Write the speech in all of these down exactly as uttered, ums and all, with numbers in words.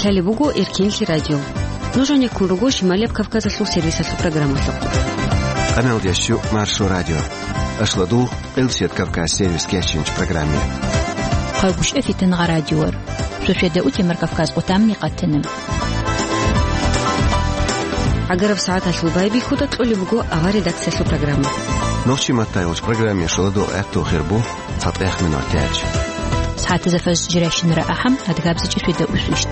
Лъалеб буго Эркенлъи радио. Нуж гьанеккун руго Шималияб Кавказалъул сервисалъул программалъухъ. Къаналдеш Маршо радио. Ашладул, Къилсият Кавказ сервис кечинч программе. Хъайгушев Фитангъа радиор. Шошеда утемар Кавказ къутамни къатана. Агараб сагӀаталъул байбихьуда кьолеб буго авар редакциялъул программа. Нохчи маттайолч программе шоладул гӀехтул хирбу. ЦатӀехъ минутач. СагӀатазда фажр жирайщинара ахӀам, адгабзичӀеб шведа усвищ.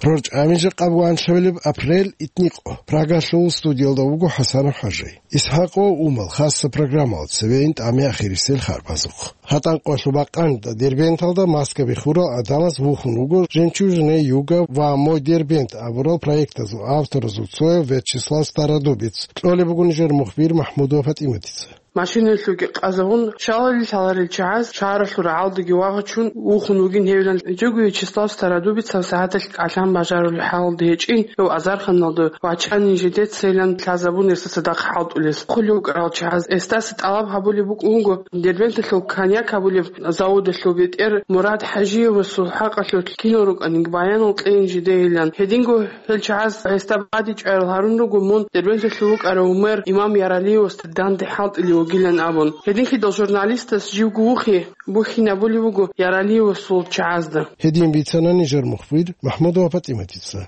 РорчӀами жакъа бугоан шавилеб апрель итникъо. Прагалъул студиялда вуго ХӀасанов ХӀажи. Исхакъо Умал хасса программал цевейин тӀаме ахирисел харбазухъ. ГьатӀанкъоялъул бакъанида Дербенталда маска бихурал гӀадамаз вухун вуго «Жемчужная юга» ва «Мой Дербент» абурал проектазул авторазул цояв Вячеслав Стародубец. Кьолеб буго нижер мухбир МахӀмудова ПатӀиматица. Машинаялъулги къазагъун, шалали лъаларел чагӀаз шагьаралъул рагӀалдаги вагъачун вухун вугин гьевилан. Жого Вячеслав Стародубецав сагӀаталъ кӀалъан бажарулеб хӀалалда гьечӀин, гьев азарханалда вачанин жидецайилан лъазабун гьесда цадахъ хӀалтӀулес. Хъулев вукӀарал чагӀаз гьесдаса тӀалаб гьабулеб букӀун буго Дербенталъул коньяк гьабулеб заводалъул бетӀер Мурад ХӀажиевасул хӀакъалъулъ кинал рукӀаниг баянал кьейин жидейилан. Гьединго гьел чагӀаз гьесда бадибчӀварал гьарун руго мун Дербенталъул вукӀарав мэр Имам Яралиевасда данде хӀалтӀулев вугилан абун. Гьединлъидал журналистас живго вухи бухьинабулеб буго Яралиевасул чагӀазда. Гьедин бицана нижер мухбир МахӀмудова ПатӀиматица.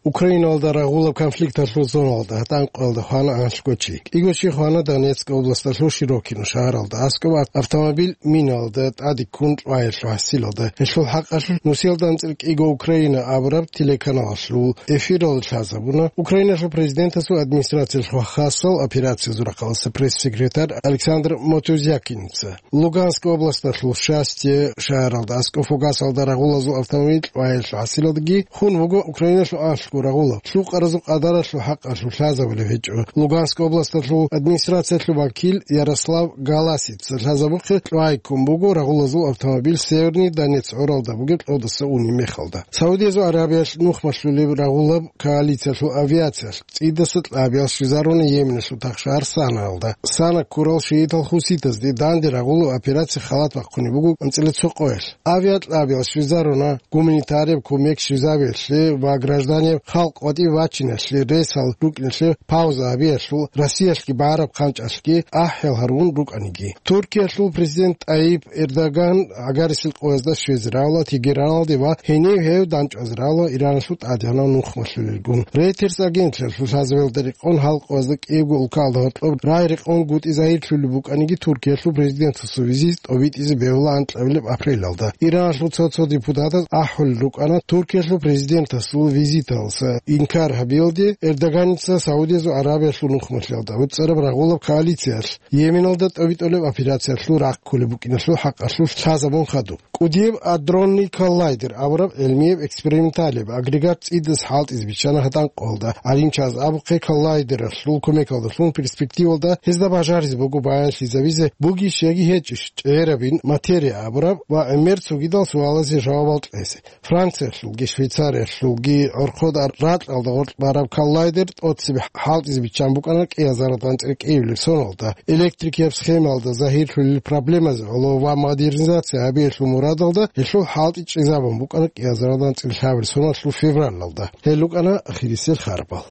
Украиналда рагъулаб конфликталъул зоналда гьатӀанкъоялда хвана анлъго чи. КӀиго чи хвана Донецк областалъул Широкино шагьаралда аскӀоб автомобиль миналда тӀадиккун лъугьаялъул хӀасилалда. Гьелъул хӀакъалъулъ нусиялда анцӀила кӀиго Украина абураб телеканалалъул эфиралда лъазабуна Украиналъул президентасул администрациялъул хасал операциязул рахъалъулъ пресс-секретарь Александр Мотузякиница. Луганск областалъул Счастье шагьаралда аскӀоб фугасалда рагъулазул автомобиль лъугьаялъул хӀасилалдаги хун вуго Украиналъул анлъго рагъулаб лъукъаразул къадаралъул хӀакъалъулъ лъазабулеб гьечӀо. Луганск областалъул администрациялъул вакил Ярослав Галасица лъазабухъе лъугьайккун буго рагъулазул автомобиль Северный Донецк гӀуралда бугеб кьодаса унеб мехалда. Саудиязул Аравиялъ нухмалъулеб рагъулаб коалициялъул авиациялъ цӀидаса кьабиялъ щвезаруна Йеменалъул тахшагьар Санаялда. Сана ккурал шиитал хуситазде данде рагъулаб операция халат бахъунеб буго анцӀила цо къоялъ. Авиакьабиялъ щвезаруна гуманитарияб кумек щвезабиялъе ва гражданияб халкъ ватӀибе вачиналъе ресал рукӀиналъе пауза гьабиялъул, Россиялъги багӀараб хъанчӀалъги ахӀел гьарун рукӀаниги. Туркиялъул президент ТӀайип Эрдоган гӀагарисел къоязда щвезе равла Тегераналде ва гьенив гьев данчӀвазе равла Ираналъул тӀадегӀанав нухмалъулелгун. Reuters агенталъул лъазабиялда рекъон гьал къоязда кӀиябго улкалда гьоркьоб рагӀи-рекъон гутӀи загьирлъулеб букӀаниги Туркиялъул президентасул визит тӀобитӀизе бегьула анкьабилеб апрелалда. Ираналъул цо-цо депутатаз ахӀулел рукӀана Туркиялъул президентасул визиталдаса инкар гьабиялде Эрдоганица Саудиязул Аравиялъул нухмалъиялда вуцӀцӀараб рагъулаб коалициялъ Йеменалда тӀобитӀулеб операциялъул рахъ кколеб букӀиналъул хӀакъалъулъ лъазабун хадуб. КӀудияб адронный коллайдер абураб гӀелмияб эксперименталияб агрегат цӀидас хӀалтӀизе биччана гьатӀанкъоялда. ГӀалимчияз абухъе коллайдералъул кумекалдалъун перспективалда гьезда бажаризе буго баянлъизабизе бугищ яги гьечӀищ чӀегӀерабин материя абураб ва гӀемер цогидал суалазе жавабал кьезе. Франциялъулги Швейцариялъулги гӀорхъода ракьалда гъоркь бараб коллайдер тӀоцебе хӀалтӀизе биччан букӀана кӀиазаралда анцӀила кӀиабилеб соналда, электрикияб схемалда загьирлъулел проблемазе гӀоло ва модернизация гьабиялъул мурадалда гьелъул хӀалтӀи чӀезабун букӀана кӀиазаралда анцӀила лъабабилеб соналъул февралалда. Гьел рукӀана ахирисел харбал.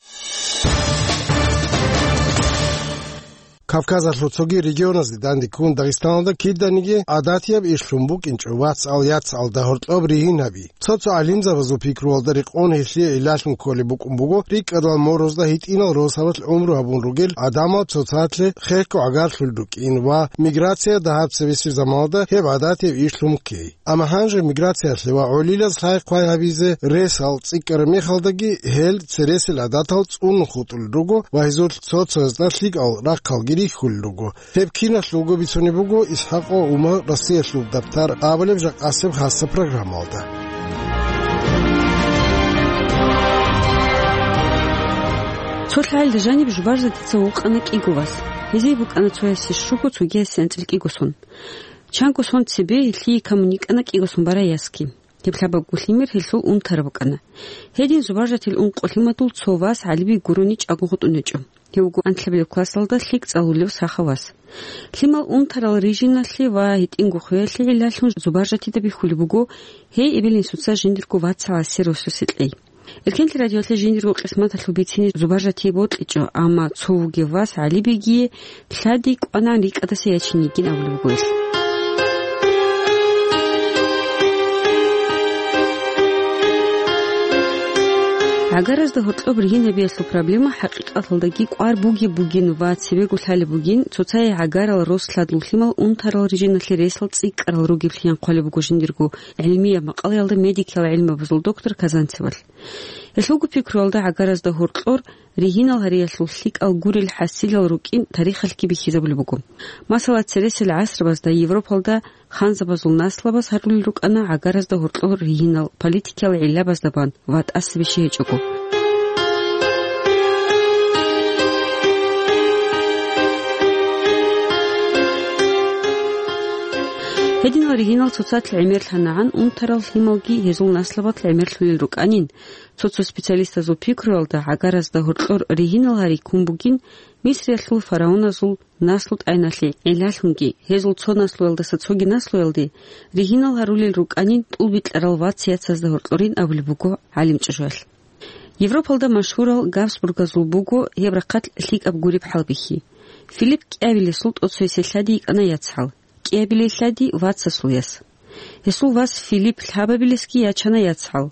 Кавказалъул цоги регионазде данде ккун Дагъистаналда киданиги гӀадатияб ишлъун букӀинчӀо вацал-яцалда гьоркьоб ригьин гьаби. Цо-цо гӀалимзабазул пикруялда рекъон гьелъие гӀиллалъун кколеб букӀун буго рикӀкӀадал морозда гьитӀинал росабалъ гӀумру гьабун ругел гӀадамал цоцазде хехго гӀагарлъулел рукӀин ва миграция дагьаб цебесеб заманалда гьеб гӀадатияб ишлъун ккей. Амма гьанже миграциялъе ва гӀолилаз лъай-хъвай гьабизе ресал цӀикӀкӀараб мехалдаги гьел цересел гӀадатал цӀунун хутӀулел руго ва гьезул цо-цоязда лъикӀал рахъалги рихьулел руго. Гьеб киналъулго бицунеб буго ИсхӀакъо Умар Россиялъул дабтар абулеб жакъасеб хасаб программалда. Цо лъагӀалда жаниб Жубаржатица вукъана кӀиго вас. Гьезие букӀана цоясе щуго, цогиясе анцӀила кӀиго сон. Чанго сон цебе гьелъие камун йикӀана кӀиго сон барай ясги. Гьеб лъабабго лъимер гьелъул унтараб букӀана. Гьедин Зубаржатил ункъо лъимадул цо вас гӀалибги гурони чӀаго хутӀун гьечӀо. Гьев вуго анлъабилеб классалда лъикӀ цӀалулев сахав вас. Лъимал унтарал рижиналъе ва гьитӀинго хвеялъе гӀиллалъун Зубаржатида бихьулеб буго гьей эбел-инсуца жиндирго вацал гӀасир росусе кьей. Эркенлъи радиоялъе жиндирго къисматалъул бицине Зубаржатие бокьичӀо, амма цо вугев вас ГӀалибегие лъади кӀванагӀан рикӀкӀадаса ячине йигин абулеб буго гьелъ. ГӀагаразда гьоркьоб ригьин гьабиялъул проблема хӀакъикъаталдаги кӀвар бугеб бугин ва цебего лъалеб бугин, цоцае гӀагарал рос лъадул лъимал унтарал рижиналъе ресал цӀикӀкӀарал ругеблъи, ян хъвалеб буго жиндирго гӀилмияб макъалаялда медикиял гӀилмабазул доктор Казанцевалъ. Гьелъулго пикруялда гӀагаразда гьоркьор ригьинал гьариялъул лъикӀал гурел хӀасилал рукӀин тарихалъги бихьизабулеб буго. Масала, цересел гӀасрабазда Европалда ханзабазул наслабаз гьарулел рукӀана гӀагаразда гьоркьор ригьинал политикиял гӀиллабазда бан ва тӀаса бищи гьечӀого. Гьединал ригьинал цоцалъ гӀемерлъанагӀан унтарал лъималги гьезул наслабалъ гӀемерлъулел рукӀанин. Цо-цо специалистазул пикруялда, гӀагаразда гьоркьор ригьинал гьари ккун бугин Мисриялъул фараоназул наслу-тӀайналъе гӀиллалъунги, гьезул цо наслуялдаса цоги наслуялде ригьинал гьарулел рукӀанин тӀулбикьарал вац-яцазда гьоркьорин абулеб буго гӀалимчӀужуялъ. Европалда машгьурал Габсбургазул буго гьеб рахъалъ лъикӀаб гуреб хӀалбихьи. Филипп кӀиабилесул тӀоцоясе лъади йикӀана яцгӀал, кӀиабилелъ лъади вацасул яс. Гьесул вас Филипп лъабабилесги ячана яцгӀал.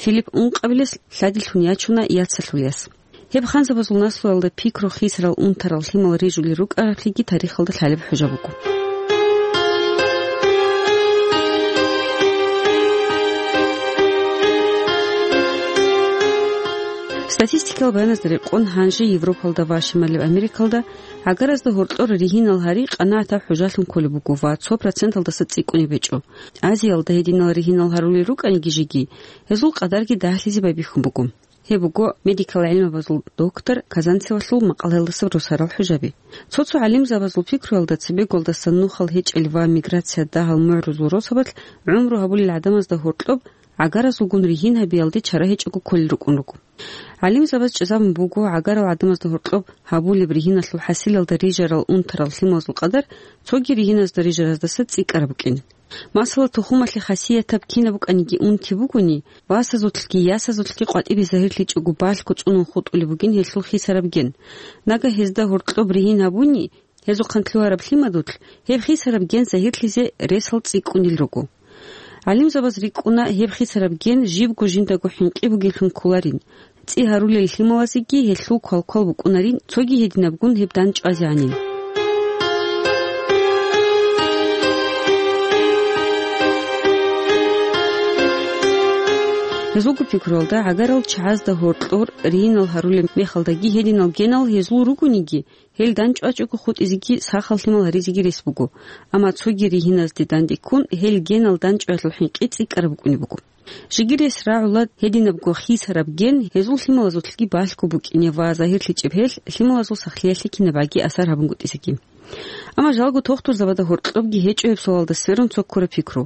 Филипп ункъабилес лъадилъун ячуна яцалъул яс. Гьеб ханзабазул наслуялда пикру хисарал унтарал лъимал рижулел рукӀараблъиги тарихалда лъалеб хӀужа буго. Статистикиял баяназда рекъон, гьанже Европалда ва Шималаб Америкалда гӀагаразда гьоркьор ригьинал гьари къанагӀатаб хӀужалъун кколеб буго ва цо проценталдаса цӀикӀкӀунеб гьечӀо. Азиялда гьединал ригьинал гьарулел рукӀаниги жеги, гьезул къадарги дагьлъизе байбихьун буго. Гьеб буго медикал гӀилмабазул доктор Казанцевалъул макъалаялдаса росарал хӀужаби. Цо-цо гӀалимзабазул пикруялда, цебеголдасан нухал гьечӀел ва миграция дагьал мугӀрузул росабалъ гӀумру гьабулел гӀадамазда гьоркьоб гӀагаразулгун ригьин гьабиялде чара гьечӀого кколел рукӀун руго. ГӀалимзабаз чӀезабун буго, гӀагарал гӀадамазда гьоркьоб гьабулеб ригьиналъул хӀасилалда рижарал унтарал лъималазул къадар цоги ригьиназда рижараздаса цӀикӀкӀараб букӀин. Масала, тухумалъе хасиятаб кинаб букӀаниги унти бугони, васазулъги ясазулъги къватӀибе загьирлъичӀого балъго цӀунун хутӀулеб бугин гьелъул хисараб ген. Нагагь гьезда гьоркьоб ригьин гьабуни, гьезухъан лъугьараб лъимадулъ гьеб хисараб ген загьирлъизе ресал цӀикӀкӀунел руго. ГӀалимзабаз рикӀкӀуна гьеб хисараб ген жибго жиндаго хӀинкъи бугеллъун кколарин, цӀи гьарулел лъималазеги гьелъул квалквал букӀунарин, цоги гьединабгун гьеб дандчӀвазегӀанин. Гьезулго пикруялда, гӀагарал чагӀазда гьоркьор ригьинал гьарулеб мехалдаги гьединал генал гьезул ругониги, гьел дандчӀвачӀого хутӀизеги сахал лъимал гьаризеги рес буго, амма цоги ригьиназде дандеккун гьел генал дандчӀваялъул хӀинкъи цӀикӀкӀараб букӀунеб буго. Жеги рес рагӀула гьединабго хисараб ген гьезул лъималазулъги балъго букӀине ва загьирлъичӀеб гьелъ лъималазул сахлъиялъе кинабгӀаги асар гьабунгутӀизеги. Амма жалго тухтурзабазда гьоркьобги гьечӀо гьеб суалалда сверун цо ккураб пикру.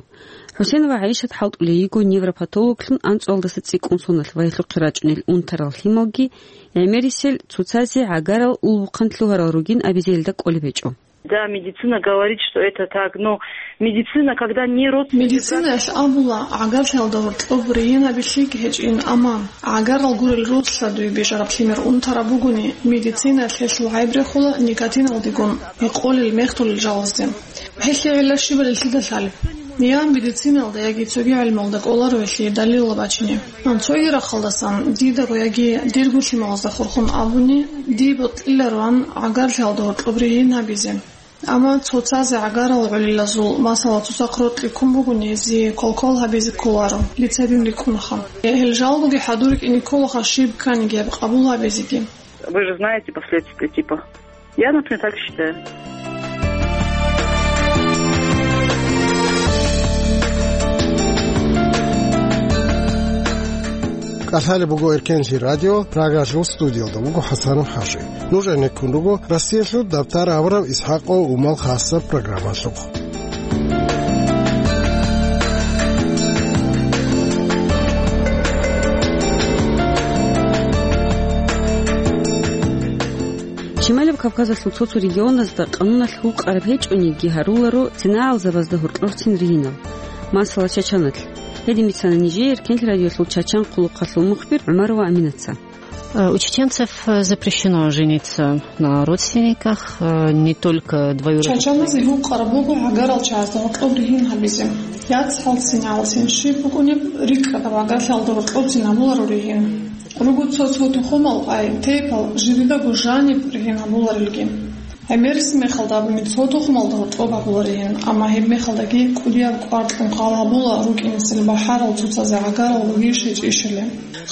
ХӀусен ва ГӀайшат хӀалтӀулей йиго невропатологлъун анцӀуалдаса цӀикӀкӀун соналъ ва гьелъухъе рачӀунел унтарал лъималги гӀемерисел, цоцазе гӀагарал улбухъан лъугьарал ругин абизе гьелда кӀолеб гьечӀо. Да, медицина говорит, что это так, но медицина, когда не родственник... Медицинаялъ абула, гӀагарлъиялда гьоркьоб ригьин гьабилъиги гьечӀин, амма гӀагарал гурел рос лъадуе бижараб лъимер унтараб бугони, медицинаялъ гьелъул гӀайб рехула никотиналдегун гьекъолел мехтулел жалазде. Гьелъие гӀилла щибали лъида лъалеб? Я медициналда, яги цоги гӀелмалда кӀоларо гьелъие далилал бачине. Цоги рахъалдасан дидаго яги дирго лъималазда хурхун абуни, дие бокьилароан гӀагарлъиялда гьоркьоб ригьин гьабизе. Амма цоцазе гӀагарал гӀолилазул, масала, цоцахъ рокьи ккун бугони, гьезие квалквал гьабизе кколаро, дица гьедин рикӀкӀунаха. Гьел жалгоги хӀадур рикӀкӀине кколаха щиб кканиги гьеб къабул гьабизеги. Вы же знаете последствия, типа. Я, например, так считаю. КӀалъалеб буго Эркенлъи радио, Прагалъул студиялда вуго ХӀасанов ХӀажи. Нуж гӀенеккун руго Россиялъул дабтар аварав ИсхӀакъов Умал хасаб программалъухъ. Шималаб Кавказалъул цо-цо регионазда къануналъ гьукъараб гьечӀониги гьаруларо цинагӀалзабазда гьоркьорцин ригьинал. Масала, Чачаналъ. Гьедин бицана нижее Эркенлъи радиолъул Чачан къулухъалъул мухбир ГӀумарова Аминаца. Э, у чеченцев, э, запрещено жениться на родственниках, э, не только двоюродных. Чачаназе гьукъараб буго гӀагарал чагӀазда гьоркьоб ригьин гьабизе. ЯцӀцӀалцин, гӀалцин щиб букӀунеб, рикӀкӀадаб гӀагарлъиялда гьоркьобцин гьабуларо ригьин. Руго цо-цо тухумал, ай, тейпал жидедаго жаниб ригьин гьабуларелги. ГӀемерисеб мехалда абуни цо тухумалда гьоркьоб гьабуларигьин, амма гьеб мехалдаги кӀудияб кӀвар кьун хал гьабула рукӀинесел бахӀарал цоцазе гӀагарал ругищ гьечӀищали.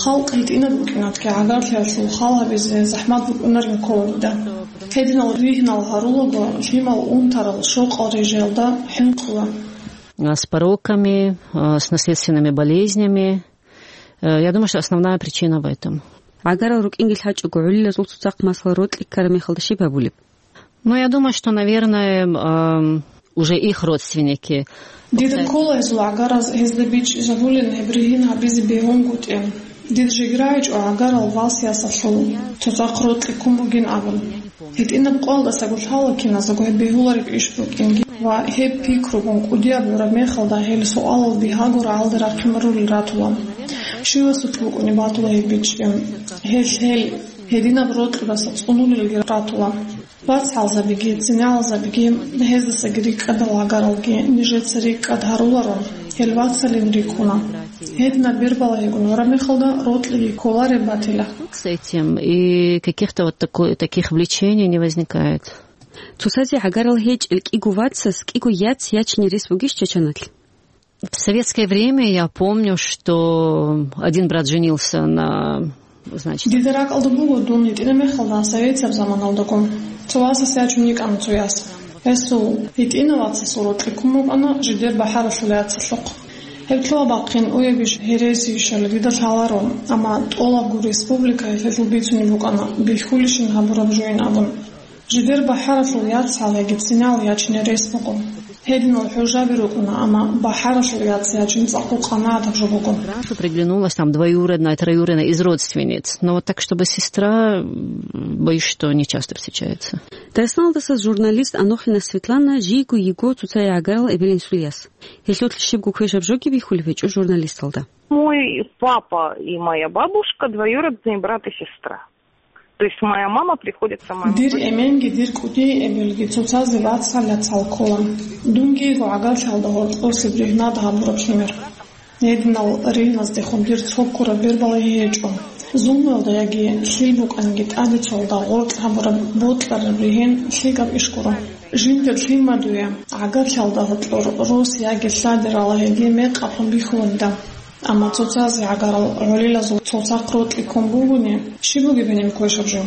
Халкъ гьитӀинаб букӀинатги гӀагарлъиялъул хал гьабизе захӀмат букӀунарин ккола дида. Гьединал ригьинал гьарулаго лъимал унтарал щокъал рижаялда хӀинкъула. А, с пороками, а, с наследственными болезнями. Э, я думаю, что основная причина в этом. ГӀагарал рукӀинги лъачӀого, гӀолилазул цоцахъ, масала, рокьи ккараб мехалда щиб гьабулеб? Ну, я думаю, что, наверное, ам, уже их родственники. Дида ккола гьезул гӀагараз гьезда бичӀчӀизабулин гьеб ригьин гьабизе бегьунгутӀи. Дида жеги рагӀичӀо гӀагарал васасалъул цоцахъ рокьи ккун бугин абун. ГьитӀинаб къоялдасаго лъала киназдаго гьеб бегьулареб иш букӀинги ва гьеб пикругун кӀудияб гӀураб мехалда гьел суалал бигьаго рагӀалде рахъин рурел ратула. Щивасулъ букӀунеб батула гьеб бичӀчӀи. Гьел, гьел гьединаб рокьудаса цӀунулелги ратула. ВацгӀалзабиги, цинегӀалзабиги, гьездасаги рикӀкӀадал гӀагаралги нижеца рикӀкӀад гьаруларо, гьел вацалин рикӀкӀуна. Гьединаб бербалагьигун гӀураб мехалда рокьиги кколареб батила. С этим и каких-то вот такой, таких влечений не возникает. Цоцазе гӀагарал гьечӀел кӀиго вацас кӀиго яц ячине рес бугищ Чачаналъ? В советское время я помню, что один брат женился на, значит... Дида ракӀалда буго дун гьитӀинаб мехалда советияб заманалдаго. Цо васас ячун йикӀана цо яс. Гьесул гьитӀинав вацасул рокьи ккун букӀана жидер бахӀаралъул яцалъухъ. Гьеб лъугьа-бахъин уябищ, гьересийищали дида лъаларо, амма тӀолабго республикаялъ гьелъул бицунеб букӀана, бихьулищин гьабураб жойин абун. Жидер бахӀаралъул яцал яги цинал ячине рес буго. Гьединал хӀужаби рукӀуна, амма бахӀаралъул яц ячин цӀакъго къанагӀатаб жо буго. Раньше приглянулась там двоюродная, троюродная из родственниц. Но вот так, чтобы сестра, м, боюсь, что не часто встречается. Дагъистаналдаса журналист Анохина Светлана жийго йиго цоцае гӀагарал эбел-инсул яс. Гьелъулъ щибго квешаб жоги бихьулеб гьечӀо журналисталда. Мой папа и моя бабушка двоюродные брат и сестра. То есть моя мама приходится моему... Дир эменги дир кӀудияй эбелги цоцазе вацал-яцал ккола. Дунги йиго гӀагарлъиялда гьоркьосеб ригьнад гьабураб лъимер. Гьединал ригьназдехун дир цо ккураб бербалагьи гьечӀо. Зулмуялда яги лъил букӀаниги тӀаде цоялда гъоркь гьабураб бокьараб ригьин лъикӀаб иш гуро. Жиндир лъимадуе гӀагарлъиялда гьоркьор рос яги лъади ралагьиги мекъаб бихьуланида. Амма цоцазе гӀагарал гӀолилазул цоцахъ рокьи ккун бугони, щиб бугеб гьениб квешаб жо?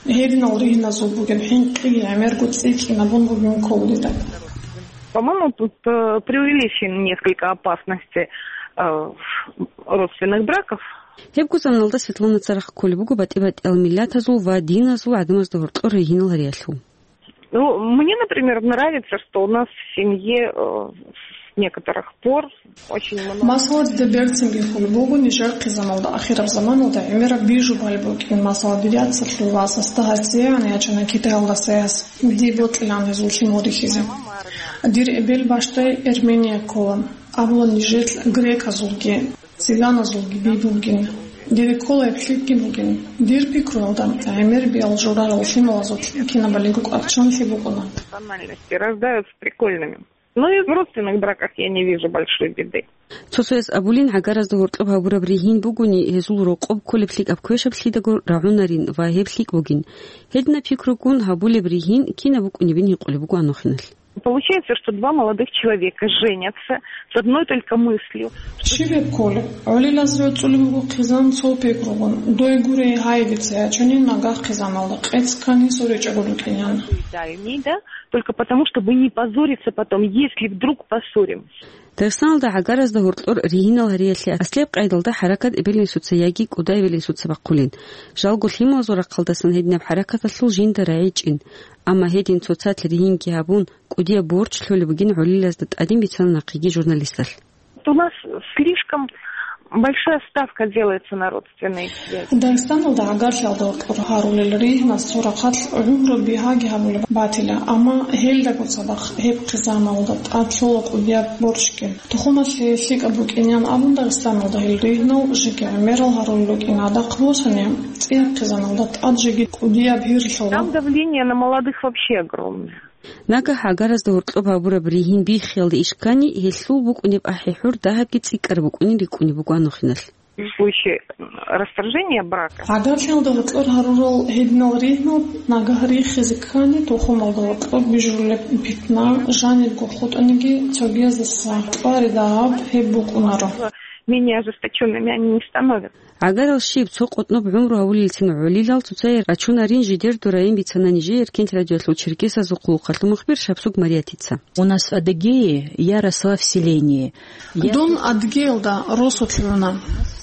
Гьединал ригьназул бугеб хӀинкъиги гӀемерго цӀикӀкӀинабун бугеб ккола дида. По-моему, тут, э, преувеличены несколько опасности, э, родственных браков. Гьебго заманалда Светлана царахъ кколеб буго батӀи-батӀиял миллатазул ва диназул гӀадамазда гьоркьор ригьинал гьариялъул. Ну, мне, например, нравится, что у нас в семье, э, с некоторых пор очень много... Масала, дида берцинги хьул буго нижер хъизаналда, ахираб заманалда гӀемераб бижубали букӀин, масала, дир яцалъул васасда гьасиегӀан ячана Китаялдаса яс, дие бокьилаан гьезул лъимал рихьизе. Дир эбел бащдай Эрмения ккола, абула нижер греказулги. Цыганазулги би бугин. Дида ккола гьеб лъикӀги бугин. Дир пикруялда, гӀемер биал журарал лъималазул кинабалиго кӀварччанлъи букӀуна. Национальности рождаются прикольными. Но и в родственных браках я не вижу большой беды. Цо-цояс абулин, гӀагаразда гьоркьоб гьабураб ригьин бугони, гьезул рокъоб кколеб лъикӀаб квешаб лъидаго рагӀунарин ва гьеб лъикӀ бугин. Гьединаб пикругун гьабулеб ригьин кинаб букӀунебин гьикъулеб буго Анохиналъ. Получается, что два молодых человека женятся с одной только мыслью, что... Щиб гьеб кколеб? ГӀолилаз рецӀцӀулеб буго хъизан цо пикругун. Дой гурей, гьай, дица ячани нагагь хъизаналда, къец ккани соричӀого рукӀинян. Только потому, чтобы не позориться потом, если вдруг поссоримся. Дагъистаналда гӀагаразда гьоркьор ригьинал гьариялъе аслияб къайдалда хӀаракат эбел-инсуца яги кӀуда эбел-инсуца бахъулин. Жалго лъималазул рахъалдасан гьединаб хӀаракаталъул жинда рагӀичӀин. Амма гьедин цоцалъ ригьинги гьабун, кӀудияб борчӀ лъолеб бугин гӀолилазда тӀадин бицана нахъеги журналисталъ. У нас слишком Большая ставка делается на родственные связи. Дагъистаналда гӀагарлъиялда гьоркьор гьарулел ригьнас цо рахъалъ гӀумру бигьаги гьабулеб батила, амма гьелдаго цадахъ гьеб хъизаналда тӀад лъула кӀудияб борщги. Тухумалъе лъикӀаб букӀинеян абун Дагъистаналда гьел ригьнал жеги гӀемерал гьарулел рукӀин. Гьадахъ босани, цӀияб хъизаналда тӀад жеги кӀудияб гьир лъула. Там давление на молодых вообще огромное. Нагагь гӀагаразда гьоркьоб гьабураб ригьин биххиялда иш ккани, гьелъул букӀунеб ахӀи-хӀур дагьабги цӀикӀкӀараб букӀунин рикӀкӀунеб буго гьанухъиналъ. В случае расторжения брака. ГӀагарлъиялда гьоркьор гьарурал гьединал ригьнал нагагь рихизе ккани, тухумалда гьоркьор бижулеб питна жанибго хутӀаниги, цогияздаса тӀвари дагьаб гьеб букӀунаро. Менее ожесточёнными они не становятся. ГӀагарал щиб, цо къотӀноб гӀумру гьавулелцин гӀолилал цоцае рачунарин жидер дураин бицана нижее Эркенлъи радиоялъул черкесазул хъулухъалъул мухбир Шапсуг Мариятица. У нас в Адыгее я росла в селении. Я Дун Адыгеялда росулъ руна.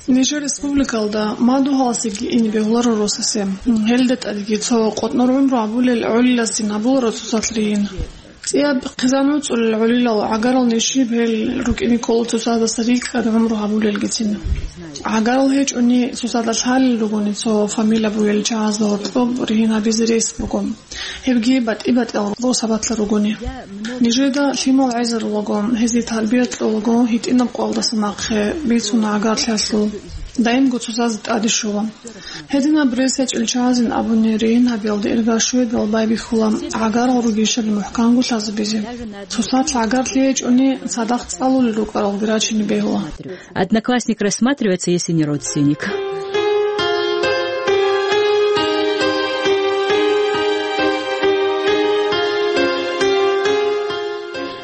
Нижер республикалда мадугьаласеги ине бегьуларо росасе. Гьелда тӀадги цо къотӀнор гӀумру гьабулел гӀолиласин гьабуларо цоцалъ ригьин. ЦӀияб хъизан вуцӀцӀулел гӀолилал гӀагарал ниж щиб гьел рукӀине ккола цоцаздаса рикӀкӀад гӀумру гьабулелгицин. ГӀагарал гьечӀони цоцазда лъалел ругони цо фамилия бугел чагӀазда гьоркьоб ригьин гьабизе рес буго. Гьебги батӀи-батӀиял росабалъа ругони. Нижеда лъимал гӀезарулаго, гьезие тарбия кьолаго, гьитӀинаб къоялдаса нахъе бицуна гӀагарлъиялъул. Даимго цоцазе тӀаде щола. Гьединаб рес гьечӀел чагӀазин абуни, ригьин гьабиялда ирга щведал байбихьула гӀагарал ругищали мухӀканго лъазабизе. Цоцалъ гӀагарлъи гьечӀони, цадахъ цӀалулел рукӀаралги рачине бегьула. Одноклассник рассматривается, если не родственник.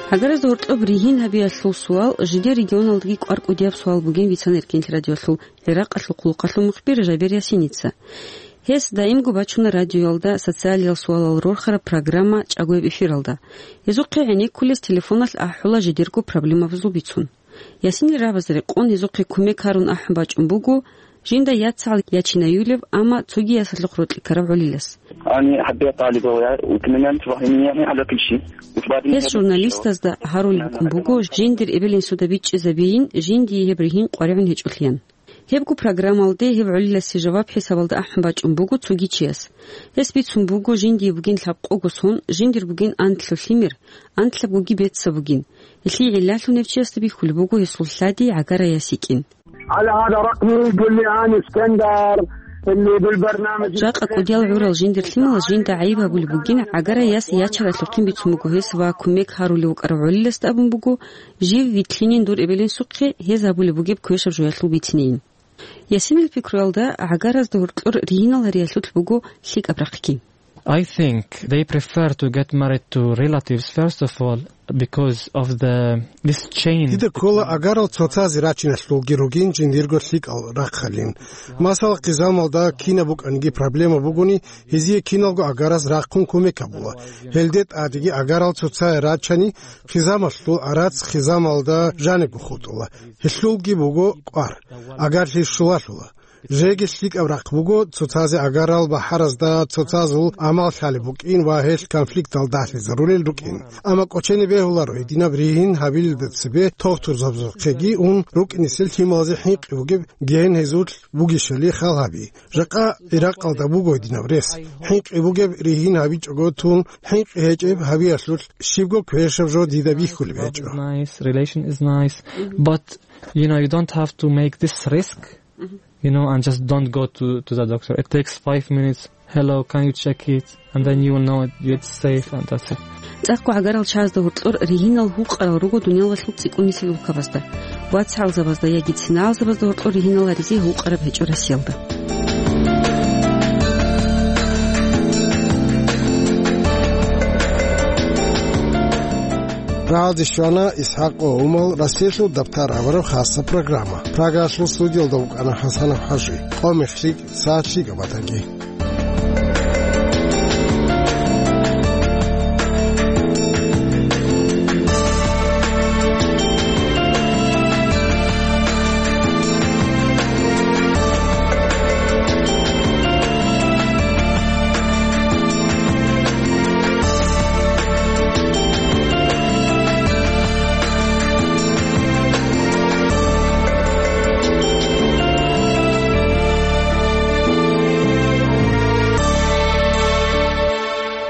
ГӀагаразда гьоркьоб ригьин гьабиялъул суал жидер регионалдаги кӀвар-кӀудияб суал бугин бицана Эркенлъи радиоялъул ГӀиракъалъул хъулухъалъул мухбир Жабер Ясиница. Гьес даимго бачуна радиоялда социалиял суалал рорхараб программа чӀагояб эфиралда. Гьезухъе гӀенеккулес телефоналъ ахӀула жидерго проблемабазул бицун. Ясинил рагӀабазе рекъон гьезухъе кумек гьарун ахӀун бачӀун буго жинда яцагӀал ячинаюлеб, амма цоги ясалъухъ рокьи ккарав гӀолилас. أنا حبيت طالبة ويا-، وتمنيت وهمية على كل شيء. وبعدين Гьес журналистазда гьарулеб букӀун буго, жиндир эбел-инсуда бичӀчӀизабейин жиндие гьеб ригьин къваригӀун гьечӀолъиян. Гьебго программалде гьеб гӀолиласе жаваб хӀисабалда ахӀун бачӀун буго цоги чияс. Гьес бицун буго жиндие бугин лъабкъого сон, жиндир бугин анлъго лъимер, анлъабгоги беццаб бугин. Гьелъие гӀиллалъун гьев чиясда бихьулеб буго гьесул лъади гӀагара яс йикӀин. على هذا رقمي، قل لي أنا اسكندر اللي بالبرنامج. Жакъа кӀудиял гӀурал жиндир лъималаз жинда гӀайиб гьабулеб бугин, гӀагара яс ячаралъухъин бицун буго гьес ва кумек гьарулев вукӀарав гӀолиласда абун буго, жив вилълъинин дур эбел-инсухъе, гьез гьабулеб бугеб квешаб жоялъул бицинейин. Ясинил пикруялда, гӀагаразда гьоркьор ригьинал гьариялъулъ буго лъикӀаб рахъги. I think they prefer to get married to relatives first of all because of the, this chain. Дида ккола агарал цоцазе рачиналъулги ругин жиндирго лъикӀал рахъалин. Масала, хъизамалда кинаб букӀаниги проблема бугони, гьезие киналго агарас рахъун кумек гьабула. Гьелде тӀадеги агарал цоцае рачани, хъизамалъул арац хъизамалда жанибго хутӀула. Гьелъулги буго кӀвар, агарлъи щулалъула. Жеги лъикӀаб рахъ буго, цоцазе агарал бахӀаразда цоцазул амал лъалеб букӀин ва гьелъ конфликтал дагьлъизарулел рукӀин. Амма кӀочене бегьуларо гьединаб ригьин гьабилелда цебе тогтурзабазухъеги ун рукӀинесел лъималазе хӀинкъи бугеб гьен гьезулъ бугищали хал гьаби. Жакъа ГӀиракъалда буго гьединаб рес. ХӀинкъи бугеб ригьин гьабичӀого тун, хӀинкъи гьечӀеб гьабиялъулъ щибго квешаб жо дида бихьулеб гьечӀо. Nice, relation is nice, but, you know, you don't have to make this risk, you know, and just don't go to, to the doctor. It takes five minutes. "Hello, can you check it?" And then you will know it, it's safe, and that's it. ЦӀакъго гӀагарал чагӀазда гьоркьор ригьинал гьукъарал руго дуниялалъул цӀикӀкӀунисел улкабазда. ВацгӀалзабазда яги цинагӀалзабазда гьоркьор ригьинал гьаризе гьукъараб гьечӀо Россиялда. Рагьалде щвана ИсхӀакъ ва Умал, Россиялъул дабтар абураб хасаб программа. Прагалъул студиялда вукӀана ХӀасанов ХӀажи. Къо-мех лъикӀ, сагӀат лъикӀаб батаги.